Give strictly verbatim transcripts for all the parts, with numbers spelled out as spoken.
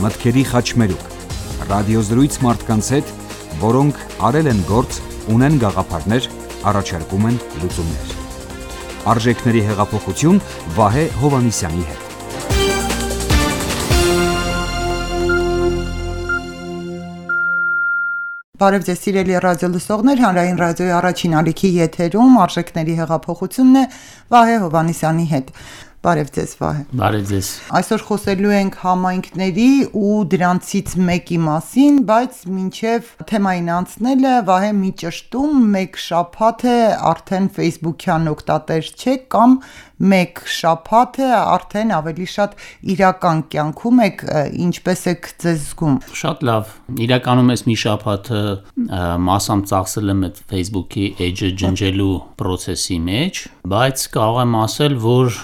մտքերի խաչմերուկ, ռադիոզրույց մարդկանց հետ, որոնք արել են գործ, ունեն գաղափարներ, առաջարկում են լուծումներ։ Արժեքների հեղափոխություն Վահե Հովհաննիսյանի հետ։ Բարև ձեզ սիրելի ռադիոլսողներ, Հանրային ռադիոյի առաջին ալիքի եթերում Արժեքների հեղափոխությունն է Վահե Հովհաննիսյանի հետ։ Բարև ձեզ Վահե։ Բարև ձեզ։ Այսօր խոսելու ենք համայնքների ու դրանցից մեկի մասին, բայց մինչև թեմային անցնելը Վահե մի ճշտում, մեկ շաբաթ է արդեն Facebook-յան օգտատեր չեք կամ մեկ շաբաթ է արդեն ավելի շատ իրական կյանքում եք, ինչպես եք ձեզ զգում։ Շատ լավ։ Իրականում ես մի շաբաթ մասամբ ծախսել եմ այդ Facebook-ի էջը ջնջելու process-ի մեջ, բայց կարող եմ ասել, որ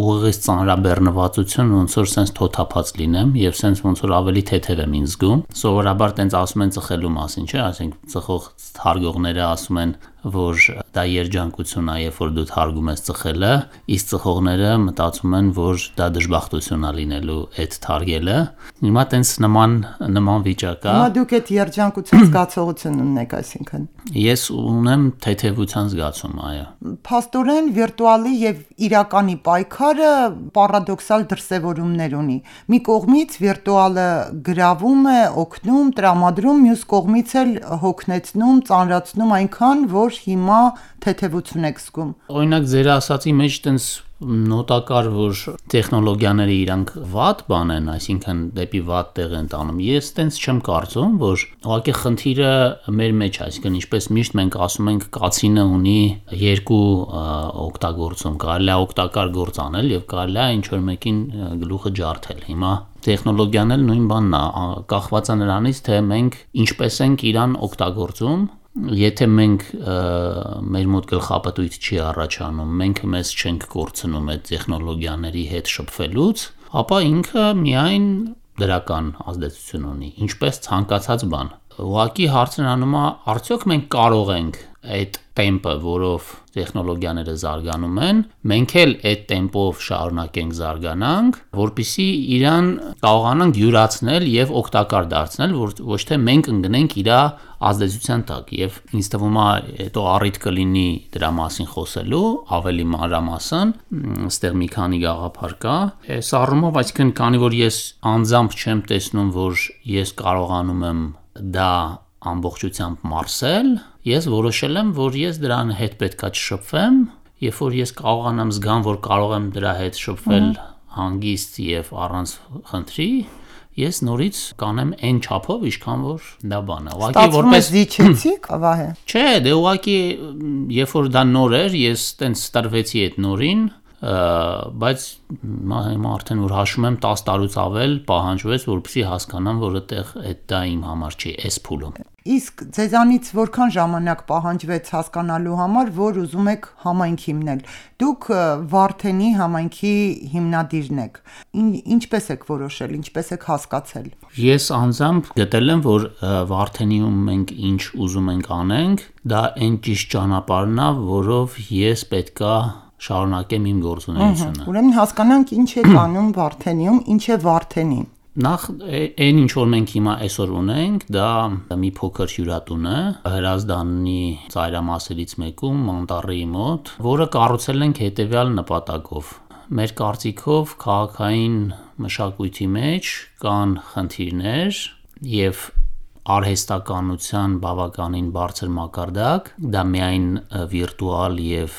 ուղղից ծանրաբեռնվածություն ոնց որ sense թոթափած լինեմ եւ sense ոնց որ ավելի թեթև եմ ինձ զգում։ Սովորաբար տենց ասում են ծխելու մասին, չէ՞, ասենք ծխող թարգողները ասում են, որ դա երջանկություն է, երբ որ դու թարգում ես ծխելը, իսկ ծխողները մտածում են, որ դա դժբախտություն է լինելու այդ թարգելը։ Հիմա տենց նման նման վիճակ է։ Հիմա դուք այդ երջանկության զգացողություն ունեք, այսինքն։ Ես ունեմ թեթևության զգացում, այո։ Փաստորեն վիրտուալի եւ իրականի պայքարը պարադոքսալ դրսևորումներ ունի։ Մի կողմից վիրտուալը գրավում է, օգնում, տրամադրում, մյուս կողմից էլ հոգնեցնում, ծանրացնում այնքան, որ հիմա թեթևություն եք զգում։ Օրինակ ձեր ասացի մեջ տենց նոտակար, որ տեխնոլոգիաները իրանք վատ բան են, այսինքն դեպի վատ տեղ են տանում։ Ես տենց չեմ կարծում, որ ուղղակի խնդիրը մեր մեջ է, այսինքն ինչպես միշտ մենք ասում ենք, կացինը ունի երկու օգտագործում, կարելի է օգտակար գործ անել եւ կարելի է ինչ որ մեկին գլուխը ջարդել։ Հիմա տեխնոլոգիան էլ նույն բանն է, կախված է նրանից, թե մենք ինչպես ենք իրան օգտագործում։ Եթե մենք մեր մոտ գլխապտույտ չի առաջանում, մենք մեզ չենք կորցնում այդ տեխնոլոգիաների հետ շփվելուց, ապա ինքը միայն դրական ազդեցություն ունի, ինչպես ցանկացած բան։ Ուղղակի հարցն անում է, արդյոք մենք կարող ենք այդ տեմպը, որով տեխնոլոգիաները զարգանում են, մենք էլ այդ տեմպով շարունակենք զարգանանք, որպեսզի իրան կարողանանք յուրացնել եւ օգտակար դարձնել, որ ոչ թե մենք ընկնենք իր ազդեցության տակ։ Եվ ինձ թվում է հետո առիթ կլինի դրա մասին խոսելու ավելի մանրամասն, այստեղ մի քանի գաղափար կա։ Այս առումով, այսինքն քանի որ ես անձամբ չեմ տեսնում, որ ես կարողանում եմ դա ամբողջությամբ մարսել, ես որոշել եմ, որ ես դրան հետ պետքա չշփվեմ, երբ որ ես կարողանամ զգամ, որ կարող եմ դրա հետ շփվել հանգիստ եւ առանց խնդրի, ես նորից կանեմ այն չափով, ինչքան որ դա բան է։ Ուղղակի որպես զիջեցիք, Վահե։ Չէ, դե ուղղակի երբ որ դա նոր էր, ես տենց տրվեցի այդ նորին, բայց հիմա արդեն որ հաշվում եմ տասը տարուց ավել պահանջվեց, որպեսզի հասկանամ, որ այդտեղ այդ դա իմ համար չի, էս փուլում։ Իսկ ձեզանից որքան ժամանակ պահանջվեց հասկանալու համար, որ ուզում եք համայնք հիմնել։ Դուք Վարդենի համայնքի հիմնադիրն եք։ Ինչպես եք որոշել, ինչպես եք հասկացել։ Ես անձամբ գտել եմ, որ Վարդենիում մենք ինչ ուզում ենք անենք, դա այն ճիշտ ճանապարհն է, որով ես պետքա շարունակեմ իմ գործունեությունը։ Ուրեմն հասկանանք ինչ է անում Վարդենիում, ինչ է Վարդենին։ Նախ այն ինչ որ մենք հիմա այսօր ունենք, դա մի փոքր հյուրատուն է Հրազդանի ծայրամասերից մեկում Մանտառի մոտ, որը կառուցել ենք հետևյալ նպատակով։ Մեր կարծիքով քաղաքային մշակույթի մեջ կան խնդիրներ եւ արհեստականության բավականին բարձր մակարդակ, դա միայն վիրտուալ եւ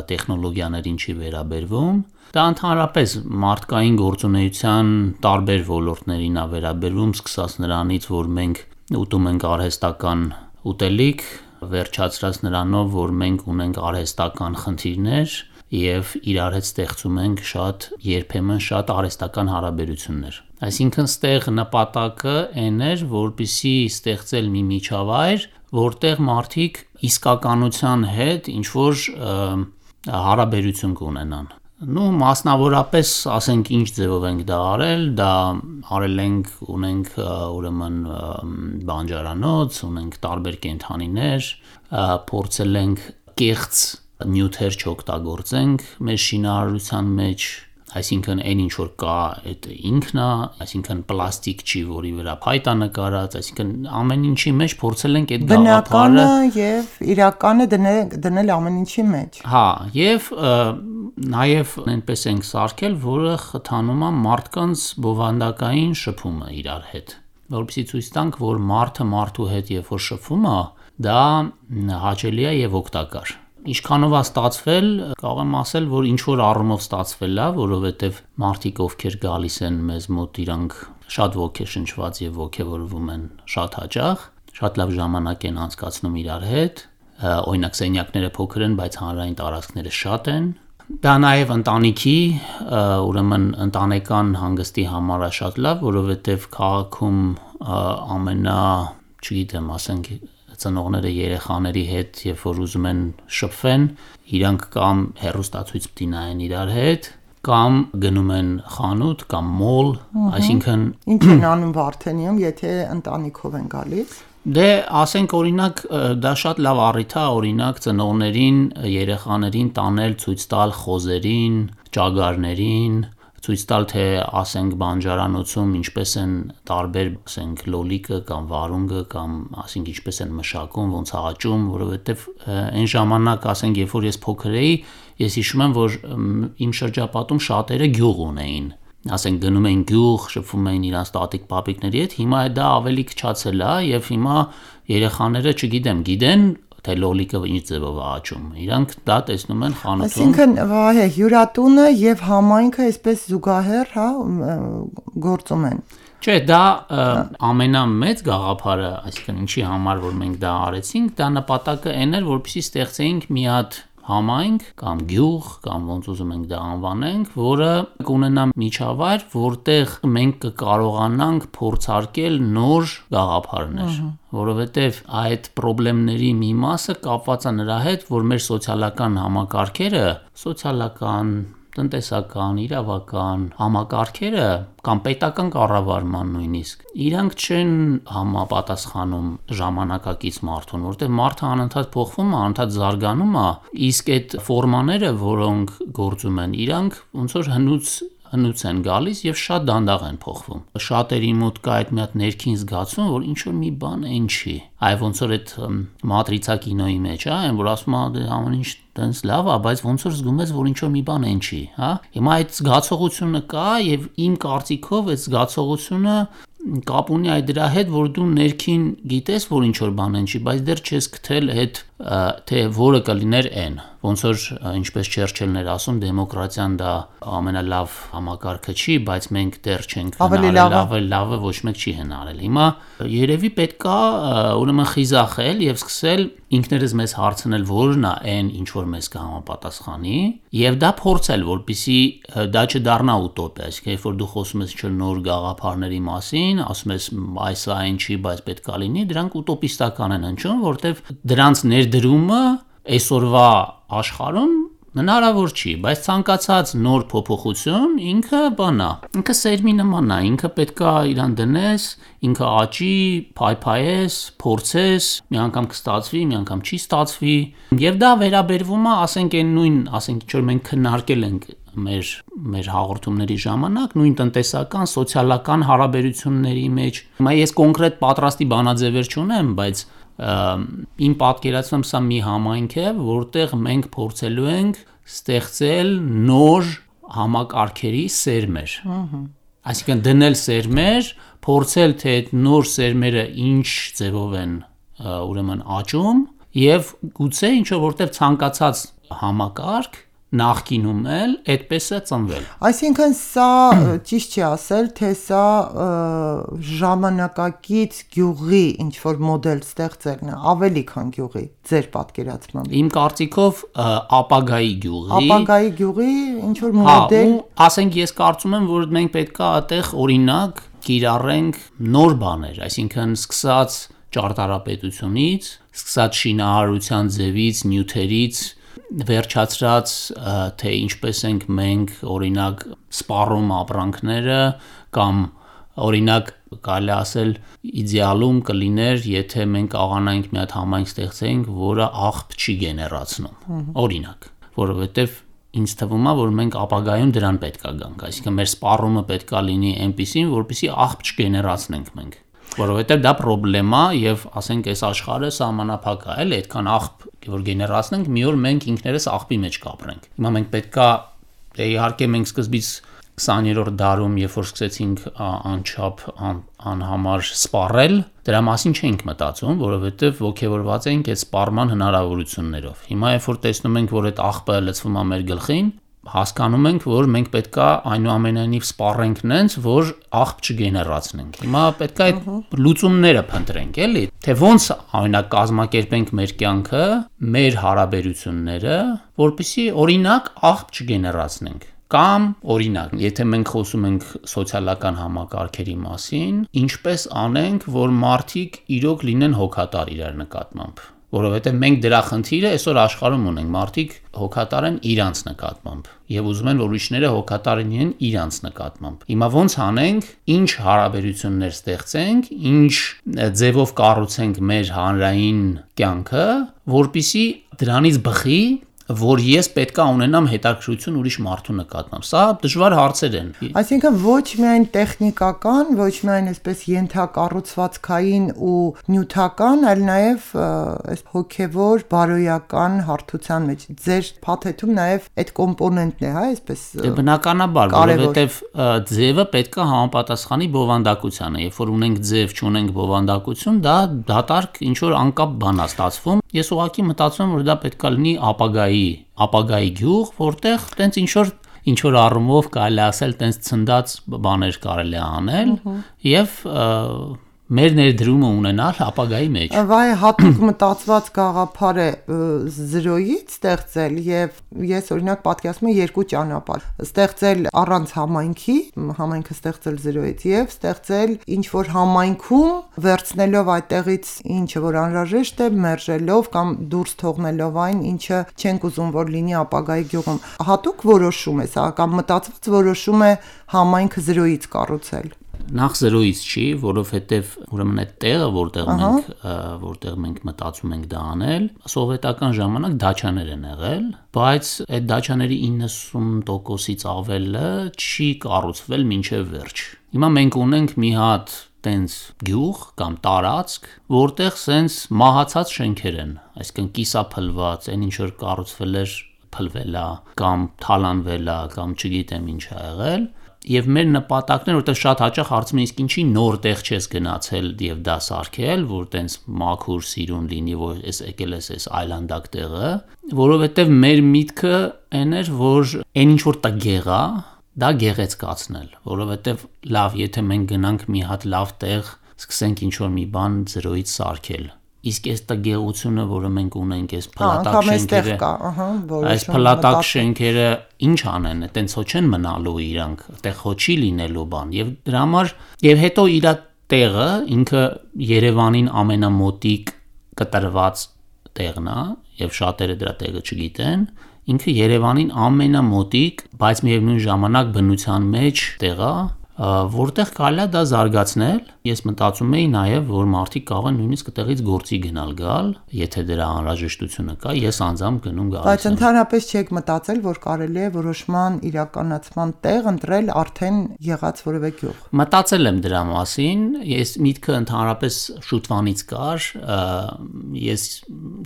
տեխնոլոգիաներին չի վերաբերվում, դա ընդհանրապես մարդկային գործունեության տարբեր ոլորտներին է վերաբերվում, սկսած նրանից, որ մենք ուտում ենք արհեստական ուտելիք, վերջացրած նրանով, որ մենք ունենք արհեստական խնդիրներ եւ իրար հետ ստեղծում ենք շատ երբեմն շատ արհեստական հարաբերություններ։ Այսինքն ստեղ նպատակը այն էր, որպեսզի ստեղծել մի միջավայր, որտեղ մարդիկ իսկականության հետ ինչ որ հարաբերություն կունենան։ Նու մասնավորապես ասենք ինչ ձևով ենք դա արել, դա արել ենք, ունենք ուրեմն բանջարանոց, ունենք տարբեր կենդանիներ, փորձել ենք կեղծ նյութեր չօգտագործենք մեր շինարարության մեջ, այսինքն այն ինչ որ կա, այդ ինքն է, այսինքն պլաստիկ չի, որի վրա փայտ է նկարած, այսինքն ամեն ինչի մեջ փորձել ենք այդ գաղափարը եւ իրականը դնել դնել ամեն ինչի մեջ։ Հա, եւ նաեւ այնպես ենք սարքել, որը խթանում է մարդկանց բովանդակային շփումը իրար հետ, որովհետեւ ցույց տանք, որ մարդը մարդու հետ երբ որ շփվում է, դա հաճելի է եւ օգտակար։ Ինչքանով է ստացվել, կարող եմ ասել, որ ինչ որ առումով ստացվել է, որովհետև մարդիկ ովքեր գալիս են մեզ մոտ, իրանք շատ ոգեշնչված եւ ոգեվորվում են շատ հաճախ, շատ լավ ժամանակ են անցկացնում իրար հետ, օրինակ սենյակները փոքր են, բայց հանրային տարածքները շատ են։ Դա նաեւ ընտանիքի, ուրեմն ընտանեկան հանգստի համար է շատ լավ, որովհետև քաղաքում ամենա, չգիտեմ, ասենք ծնողները երեխաների հետ, երբ որ ուզում են շփվեն, իրանք կամ հեռուստացույց պիտի նայեն իրար հետ, կամ գնում են խանութ կամ մոլ, այսինքն ինչ են անում Վարդենիում, եթե ընտանիքով են գալիս։ Դե ասենք օրինակ դա շատ լավ առիթ է, օրինակ ծնողներին, երեխաներին տանել ցույց տալ խոզերին, ճագարներին, ցույց տալ թե ասենք բանջարանոցում ինչպես են տարբեր ասենք լոլիկը կամ վարունգը կամ ասենք ինչպես են մշակում, ոնց է աճում, որովհետև այն ժամանակ ասենք երբ որ ես փոքր էի, ես հիշում եմ, որ իմ շրջապատում շատերը գյուղ ունեին, ասենք գնում էին գյուղ, շփվում էին իրանց տատիկ պապիկների հետ, հիմա դա ավելի քչացել է եւ հիմա երեխաները, չգիտեմ, գիտեն թե լոլիկը ինչ ձևով է աճում։ Իրանք դա տեսնում են խանութում։ Այսինքն, վայ, հյուրատունը եւ համայնքը այսպես զուգահեռ, հա, գործում են։ Չէ, դա ամենամեծ գաղափարը, այսինքն ինչի համար որ մենք դա արեցինք, դա նպատակը այն էր, որպեսզի ստեղծեինք մի հատ համայնք կամ գյուղ կամ ոնց ուզում ենք դա անվանենք, որը կունենա միջավայր, որտեղ մենք կկարողանանք փորձարկել նոր գաղափարներ, որովհետև այդ խնդիրների մի մասը կապված է նրա հետ, որ մեր սոցիալական համակարգերը, սոցիալական, տնտեսական, իրավական համակարգերը կամ պետական կառավարման նույնիսկ իրանք չեն համապատասխանում ժամանակակից մարդուն, որտեղ մարդը անընդհատ փոխվում է, անընդհատ զարգանում է, իսկ այդ ֆորմաները, որոնք գործում են, իրանք ոնց որ հնուց հնուց են գալիս եւ շատ դանդաղ են փոխվում։ Շատերի մոտ կա այդ մի հատ ներքին զգացում, որ ինչ որ մի բան այն չի։ Այ ոնց որ այդ մատրիցա կինոյի մեջ, հա, այն որ ասում է ամեն ինչ տենց լավ է, բայց ոնց որ զգում ես, որ ինչ որ մի բան այն չի, հա։ Հիմա այդ զգացողությունը կա եւ իմ կարծիքով այդ զգացողությունը կապ ունի այդ դրա հետ, որ դու ներքին գիտես, որ ինչ որ բան են չի, բայց դեռ չես գտել այդ թե որը կլիներ այն։ Ոնց որ ինչպես Չերչիլն էր ասում, դեմոկրատիան դա ամենալավ համակարգը չի, բայց մենք դեռ չենք հնարել, ավելի լավը ոչ մեկ չի հնարել։ Հիմա երևի պետք է ուրեմն խիզախել եւ սկսել ինքներս մեզ հարցնել, որն է այն, ինչ որ մեզ կհամապատասխանի, եւ դա փորձել, որպեսզի դա չդառնա ուտոպիա, այսինքն երբ որ դու խոսում ես ինչ-որ նոր գաղափարների մասին, ասում ես այս այն չի, բայց պետք է լինի, դրանք ուտոպիստական են հնչում, որտեվ դրանց ներդրումը այսօրվա աշխարհում հնարավոր չի, բայց ցանկացած նոր փոփոխություն ինքը բանա, ինքը սերմի նման է, ինքը պետքա իրան դնես, ինքը աճի, փայփայես, փորձես, մի անգամ կստացվի, մի անգամ չի ստացվի, եւ դա վերաբերվում է, ասենք այն նույն, ասենք ինչ որ մենք քննարկել ենք մեր մեր հաղորդումների ժամանակ, նույն տնտեսական, սոցիալական հարաբերությունների մեջ։ Հիմա ես կոնկրետ պատրաստի բանաձևեր չունեմ, բայց իմ պատկերացնում սա մի համայնք է, որտեղ մենք փորձելու ենք ստեղծել նոր համակարգերի սերմեր։ Այսինքն դնել սերմեր, փորձել թե այդ նոր սերմերը ինչ ձևով են ուրեմն աճում եւ գուցե ինչ որտեղ ցանկացած համակարգ նախկինում էլ այդպես է ծնվել։ Այսինքն սա ճիշտ չի ասել, թե սա ժամանակակից գյուղի ինչ որ մոդել ստեղծելն է, ավելի քան գյուղի, ձեր պատկերացմամբ։ Իմ կարծիքով ապագայի գյուղի։ Ապագայի գյուղի ինչ որ մոդել։ Հա, ասենք ես կարծում եմ, որ մենք պետք է այդտեղ օրինակ կիրառենք նոր բաներ, այսինքն սկսած ճարտարապետությունից, սկսած շինարարության ձևից, նյութերից, վերջացրած թե ինչպես ենք մենք օրինակ սպառում ապրանքները կամ օրինակ կարելի ասել իդեալում կլիներ եթե մենք կարողանանք մի հատ համայնք ստեղծենք որը աղբ չի գեներացնում օրինակ որովհետև ինձ թվում է, որ մենք ապագայում դրան պետք է գանք, այսինքն մեր սպառումը պետք է լինի այնպիսին, որպեսզի աղբ չգեներացնենք մենք, որովհետև դա խնդրեմ է եւ ասենք այս աշխարհը սահմանափակ է, էլի այդքան աղբ որ գեներացնենք, մի օր մենք ինքներս աղբի մեջ կապրենք։ Հիմա մենք պետք է, դե իհարկե մենք սկզբից քսաներորդ դարում, երբ որ սկսեցինք անչափ անհամար սպառել, դրա մասին չենք մտածում, որովհետև ոգևորված ենք այդ սպառման հնարավորություններով։ Հիմա երբ որ տեսնում ենք, որ այդ աղբը լցվում է մեր գլխին, հասկանում ենք, որ մենք պետք է այնուամենայնիվ սպառենք նենց, որ աղբ չգեներացնենք։ Հիմա պետք է այդ լուծումները փնտրենք, էլի, թե ոնց օրինակ կազմակերպենք մեր կյանքը, մեր հարաբերությունները, որպեսզի օրինակ աղբ չգեներացնենք։ Կամ օրինակ, եթե մենք խոսում ենք սոցիալական համակարգերի մասին, ինչպես անենք, որ մարդիկ իրոք լինեն հոգատար իրար նկատմամբ, որովհետև մենք դրա խնդիրը այսօր աշխարհում ունենք, մարդիկ հոգատար են իրանց նկատմամբ եւ ուզում են, որ ուրիշները հոգատար լինեն իրանց նկատմամբ։ Հիմա ոնց անենք, ինչ հարաբերություններ ստեղծենք, ինչ ձևով կառուցենք մեր հանրային կյանքը, որպիսի դրանից բխի, որ ես պետք է ունենամ հետաքրքրություն ուրիշ մարդու նկատմամբ։ Սա դժվար հարցեր են։ Այսինքն ոչ միայն տեխնիկական, ոչ միայն այսպես ենթակառուցվածքային ու նյութական, այլ նաև այս հոգևոր, բարոյական հարթության մեջ։ Ձեր փաթեթում նաև այդ կոմպոնենտն է, հա, այսպես։ Դե բնականաբար, որովհետև ձևը պետք է համապատասխանի բովանդակությանը։ Երբ որ ունենք ձև, չունենք բովանդակություն, դա դատարկ ինչ որ անկապ բան է ստացվում։ Ես ուղղակի մտածում եմ, որ դա պետք է լինի ապագայի, ապագայի գյուղ, որտեղ տենց ինչ որ ինչ որ առումով կարելի ասել տենց ցնդած բաներ կարելի անել եւ մեր ներդրումը ունենալ ապագայի մեջ։ Վայ հատուկ մտածված գաղափար է զրոյից ստեղծել եւ ես օրինակ պատկերացնում եմ երկու ճանապարհ ստեղծել առանց համայնքի, համայնքը ստեղծել զրոյից եւ ստեղծել ինչ որ համայնքում վերցնելով այդտեղից ինչը որ անհրաժեշտ է, մերժելով կամ դուրս թողնելով այն, ինչը չենք ուզում որ լինի ապագայի գյուղում։ Հատուկ որոշում է սա կամ մտածված որոշում է համայնքը զրոյից կառուցել։ Նախ զրոյից չի, որովհետև ուրեմն այդ տեղը, որտեղ մենք որտեղ մենք մտածում ենք դա անել, սովետական ժամանակ դաչաներ են եղել, բայց այդ դաչաների իննսուն տոկոսից ավելը չի կառուցվել մինչև վերջ։ Հիմա մենք ունենք մի հատ տենց գյուղ կամ տարածք, որտեղ սենց մահացած շենքեր են, այսինքն կիսափլված, այն ինչ որ կառուցվել էր փլվել է կամ թալանվել է կամ չգիտեմ ինչ ա եղել։ Եվ մեր նպատակն է, որտեղ շատ հաճախ հարցում են, իսկ ինչի նոր տեղ չես գնացել եւ դա սարքել, որ տենց մաքուր սիրուն լինի, որ էս եկել ես էս այլանդակ տեղը, որովհետեւ մեր միտքը այն էր, որ այն ինչ որ տգեղ է, դա գեղեցկացնել, որովհետեւ լավ, եթե մենք գնանք մի հատ լավ տեղ, սկսենք ինչ որ մի բան զրոյից սարքել, իսկ այս տգեղությունը, որը մենք ունենք, այս փլատակ շենքերը, այս փլատակ շենքերը ինչ անեն, այտենց հո չեն մնալու իրանք, այդտեղ հո չի լինելու բան, եւ դրա համար եւ հետո իր տեղը ինքը Երևանին ամենամոտիկ կտրված տեղն է, եւ շատերը դրա տեղը չգիտեն, ինքը Երևանին ամենամոտիկ, բայց միևնույն ժամանակ բնության մեջ տեղ է, որտեղ կարելի է դա զարգացնել։ Ես մտածում էի նաև, որ մարդիկ կարող են նույնիսկ այդտեղից գործի գնալ գալ, եթե դրա անհրաժեշտությունը կա, ես անձամբ գնում գալիս եմ։ Բայց ընդհանրապես չեք մտածել, որ կարելի է որոշման իրականացման տեղ ընտրել արդեն եղած որևէ գյուղ։ Մտածել եմ դրա մասին, ես միտքը ընդհանրապես շուտվանից կար, ես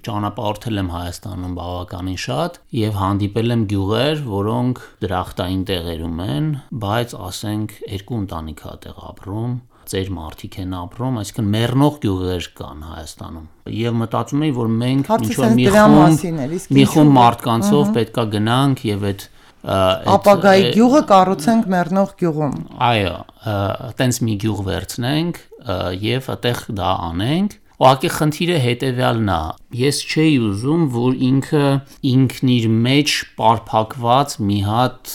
ճանապարհորդել եմ Հայաստանում բավականին շատ եւ հանդիպել եմ գյուղեր, որոնք դրախտային տեղերում են, բայց ասենք երկու ընտանիք է տեղ ապրում, ծեր մարդիկ են ապրում, այսինքն մեռնող գյուղեր կան Հայաստանում։ Եվ մտածում էի, որ մենք ինչ որ մի խումբ մի խումբ մարդկանցով պետքա գնանք եւ այդ ապագայի գյուղը կառուցենք մեռնող գյուղում։ Այո, այտենց մի գյուղ վերցնենք եւ այդտեղ դա անենք։ Ուղղակի խնդիրը հետեւյալն է։ Ես չէի ուզում, որ ինքը ինքն իր մեջ պարփակված մի հատ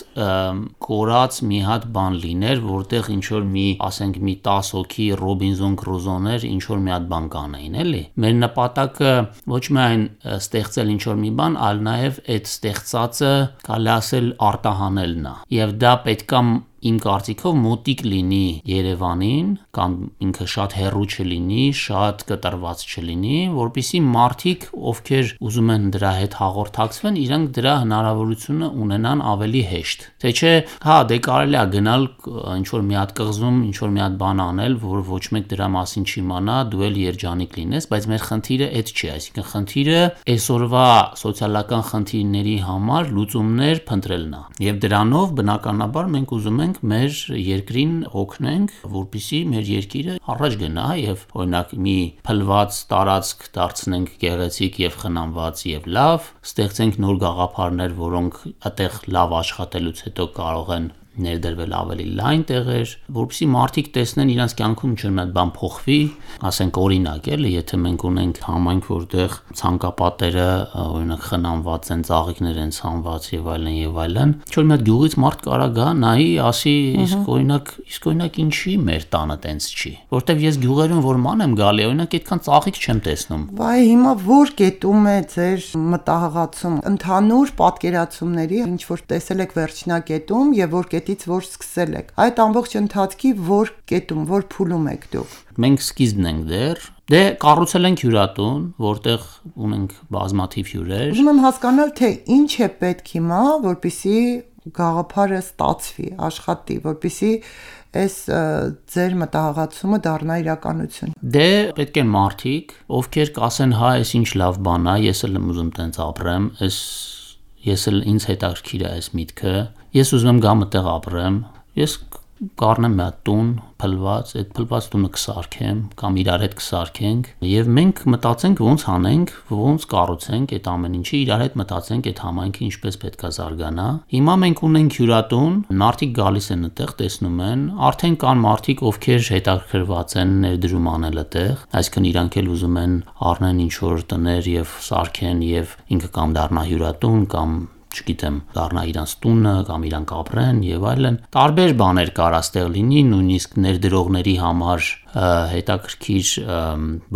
կորած մի հատ բան լիներ, որտեղ ինչ որ մի, ասենք մի տասը հոգի Ռոբինզոն Կրուզոներ ինչ որ մի հատ բան կանեին, էլի։ Մեր նպատակը ոչ միայն ստեղծել ինչ որ մի բան, այլ նաև այդ ստեղծածը կարելի ասել արտահանելն է։ Եվ դա պետքա իմ կարծիքով մոտիկ լինի Երևանին կամ ինքը շատ հեռու չլինի, շատ կտրված չլինի, որպեսզի մարդիկ, ովքեր ուզում են դրա հետ հաղորդակցվեն, իրանք դրա հնարավորությունը ունենան ավելի հեշտ։ Թե չէ, հա, դե կարելի է գնալ ինչ-որ մի հատ կղզում, ինչ-որ մի հատ բան անել, որ ոչ մեկ դրա մասին չիմանա, դու էլ երջանիկ լինես, բայց մեր խնդիրը այդ չի, այսինքն խնդիրը այսօրվա սոցիալական խնդիրների համար լուծումներ փնտրելն է։ Եվ դրանով բնականաբար մենք ուզում ենք մեր երկրին օգնենք, որպեսզի մեր երկիրը առաջ գնա եւ օրինակ մի փլված տարածք դարձնենք գեղեցիկ եւ խնամված եւ լավ, ստեղծենք նոր գաղափարներ, որոնք այդտեղ լավ աշխատելուց հետո կարող են ներդրվել ավելի լայն տեղեր, որպեսզի մարդիկ տեսնեն իրենց կյանքում ինչ-որ մի բան փոխվի, ասենք օրինակ էլի, եթե մենք ունենք համայնք, որտեղ ցանկապատերը օրինակ խնամված են, ծաղիկներ են ցանված եւ այլն եւ այլն, ինչ-որ մի հատ գյուղից մարդ կարա գա, նայի, ասի, իսկ օրինակ, իսկ օրինակ ինչի մեր տանը տենց չի, որտեվ ես գյուղերում որ ման եմ գալի, օրինակ այդքան ծաղիկ չեմ տեսնում։ Վայ, հիմա որ կետում է ձեր մտահղացում, ընդհանուր պատկերացումների, ինչ որ տեսել եք վերջնակետում եւ որ կետից որ սկսել եք։ Այդ ամբողջ ընթացքի որ կետում, որ փուլում եք դուք։ Մենք սկիզբն ենք դեռ։ Դե կառուցել ենք հյուրատուն, որտեղ ունենք բազմաթիվ հյուրեր։ Ուզում եմ հասկանալ, թե ինչ է պետք հիմա, որպեսզի գաղափարը ստացվի, աշխատի, որպեսզի այս ձեր մտահղացումը դառնա իրականություն։ Դե պետք են մարդիկ, ովքեր կասեն, հա, այս ինչ լավ բան է, ես էլ եմ ուզում տենց ապրեմ, այս ես էլ ինձ հետաքրքիր է այս միտքը, ես ուզում եմ գամ այդտեղ ապրեմ, ես կառնեմ մի հատ տուն, փլված, այդ փլված տունը կսարքեմ կամ իրար հետ կսարքենք եւ մենք մտածենք ոնց անենք, ոնց կառուցենք այդ ամեն ինչը, իրար հետ մտածենք այդ համայնքը ինչպես պետք է զարգանա։ Հիմա մենք ունենք հյուրատուն, մարդիկ գալիս են այդտեղ, տեսնում են, արդեն կան մարդիկ, ովքեր հետաքրքրված են ներդրում անել այդտեղ, այսինքն իրանք էլ ուզում են առնեն ինչ որ տներ եւ սարքեն եւ ինքը կամ դառնա հյուրատուն կամ չգիտեմ, դառնա իրանց տունը կամ իրանք ապրեն եւ այլն։ Տարբեր բաներ կար այստեղ լինի, նույնիսկ ներդրողների համար հետաքրքիր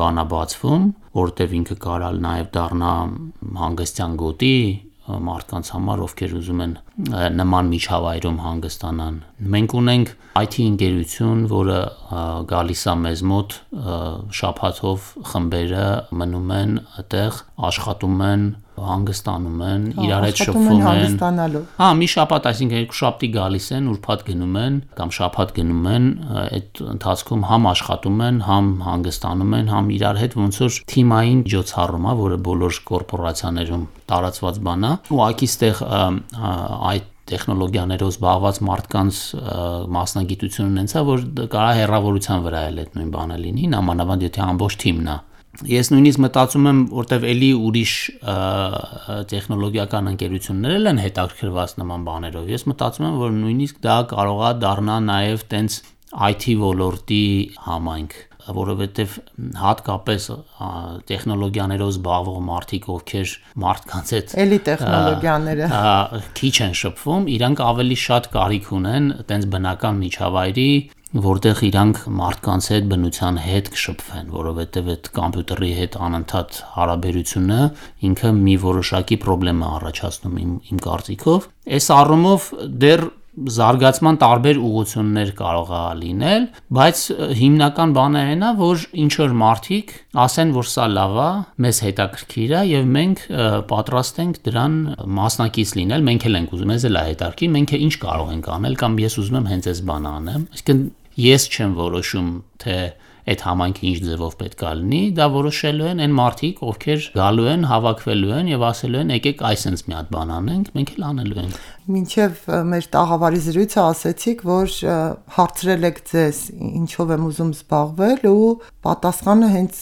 բան է բացվում, որտեվ ինքը կարալ նաեւ դառնա հանգստյան գոտի մարդկանց համար, ովքեր ուզում են նման միջավայրում հանգստանան։ Մենք ունենք I T ընկերություն, որը գալիս է մեզ մոտ շաբաթով խմբերը մնում են այդտեղ, աշխատում են, հանգստանում են, իրար հետ շփվում են։ Հա, մի շաբաթ, այսինքն երկու շաբթի գալիս են, ուրբաթ գնում են կամ շաբաթ գնում են, այդ ընթացքում համ աշխատում են, համ հանգստանում են, համ իրար հետ ոնց որ թիմային միջոցառում է, որը բոլոր կորպորացիաներում տարածված բան է։ Ուղղակի ստեղ այդ տեխնոլոգիաներով զբաղված մարդկանց մասնագիտությունը ունեցա, որ կարա հեռավորության վրա էլ այդ նույն բանը լինի, նամանավանդ եթե ամբողջ թիմն է։ Ես նույնիսկ մտածում եմ, որտեվ էլի ուրիշ տեխնոլոգիական ընկերություններ են հետաքրքրված նման բաներով։ Ես մտածում եմ, որ նույնիսկ դա կարող է դառնա նաև տենց I T ոլորտի համայնք, որովհետև հատկապես տեխնոլոգիաներով զբաղվող մարդիկ, ովքեր մարդկանց հետ էլի տեխնոլոգիաները քիչ են շփվում, իրանք ավելի շատ կարիք ունեն տենց բնական միջավայրի, որտեղ իրանք մարդկանց հետ բնության հետ կշփվեն, որովհետև այդ կոմպյուտերի հետ անընդհատ հարաբերությունը ինքը մի որոշակի խնդրեմ է առաջացնում իմ, իմ կարծիքով։ Այս առումով դեռ զարգացման տարբեր ուղղություններ կարող է լինել, բայց հիմնական բանը այն է, որ ինչ որ մարդիկ ասեն, որ սա լավ է, մեզ հետաքրքիր է եւ մենք պատրաստ ենք դրան մասնակից լինել, մենք էլ ենք ուզում, մեզ էլ է հետաքրքիր, մենք ինչ կարող ենք անել կամ ես ուզում եմ հենց այս բանը անեմ։ Այսինքն ես չեմ որոշում, թե այդ համայնքը ինչ ձևով պետք է լինի, դա որոշելու են այն մարդիկ, ովքեր գալու են, հավաքվելու են եւ ասելու են, եկեք այսպես մի հատ բան անենք, մենք էլ անելու ենք։ Մինչև մեր տաղավարի զրույցը ասացիք, որ հարցրել եք ձեզ ինչով եմ ուզում զբաղվել ու պատասխանը հենց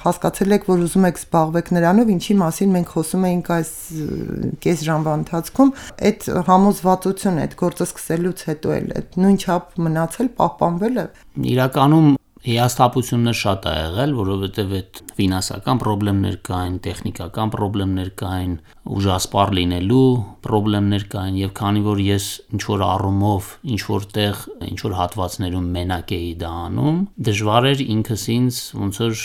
հասկացել եք, որ ուզում եք զբաղվեք նրանով, ինչի մասին մենք խոսում էինք այս կես ժամվա ընթացքում, այդ համոզվածությունը, այդ գործը սկսելուց հետո էլ այդ նույն չափ մնացել, պահպանվել է։ Իրականում հիասթափություններ շատ ա եղել, որովհետև այդ ֆինանսական խնդիրներ կային, տեխնիկական խնդիրներ կային, ուժասպառ լինելու խնդիրներ կային եւ քանի որ ես ինչ որ առումով ինչ որտեղ ինչ որ հատվածներում մենակ էի դա անում, դժվար էր ինքս ինձ ոնց որ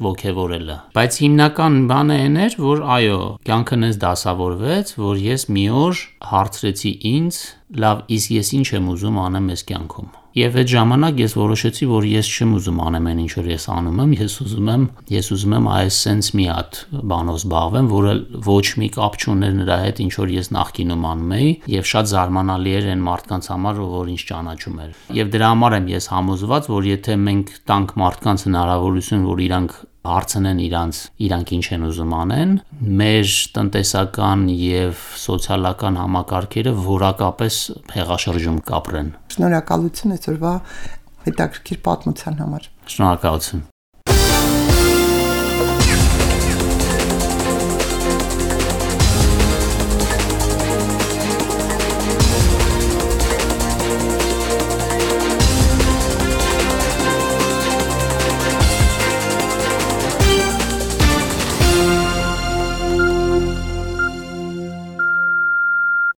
ոգևորելը։ Բայց հիմնական բանը այն էր, որ այո, կյանքն ինձ դասավորվեց, որ ես մի օր հարցրեցի ինձ, լավ, իսկ ես ինչ եմ ուզում անեմ այս կյանքում։ Եվ այդ ժամանակ ես որոշեցի, որ ես չեմ ուզում անեմ այն ինչ որ ես անում եմ, ես ուզում եմ, ես ուզում եմ այս sense մի հատ բանով զբաղվեմ, որը ոչ մի կապ չուներ նրա հետ, ինչ որ ես նախկինում անում էի, եւ շատ զարմանալի էր այն մարդկանց համար, որ ինձ ճանաչում էր։ Եվ դրա համար եմ ես համոզված, որ եթե մենք տանք մարդկանց հնարավորություն, որ իրանք հարցնեն իրանց, իրանք ինչ են ուզում անեն, մեր տնտեսական եւ սոցիալական համակարգերը որակապես հեղաշրջում կապրեն։ Շնորհակալություն այսօրվա հետաքրքիր պատմության համար։ Շնորհակալություն։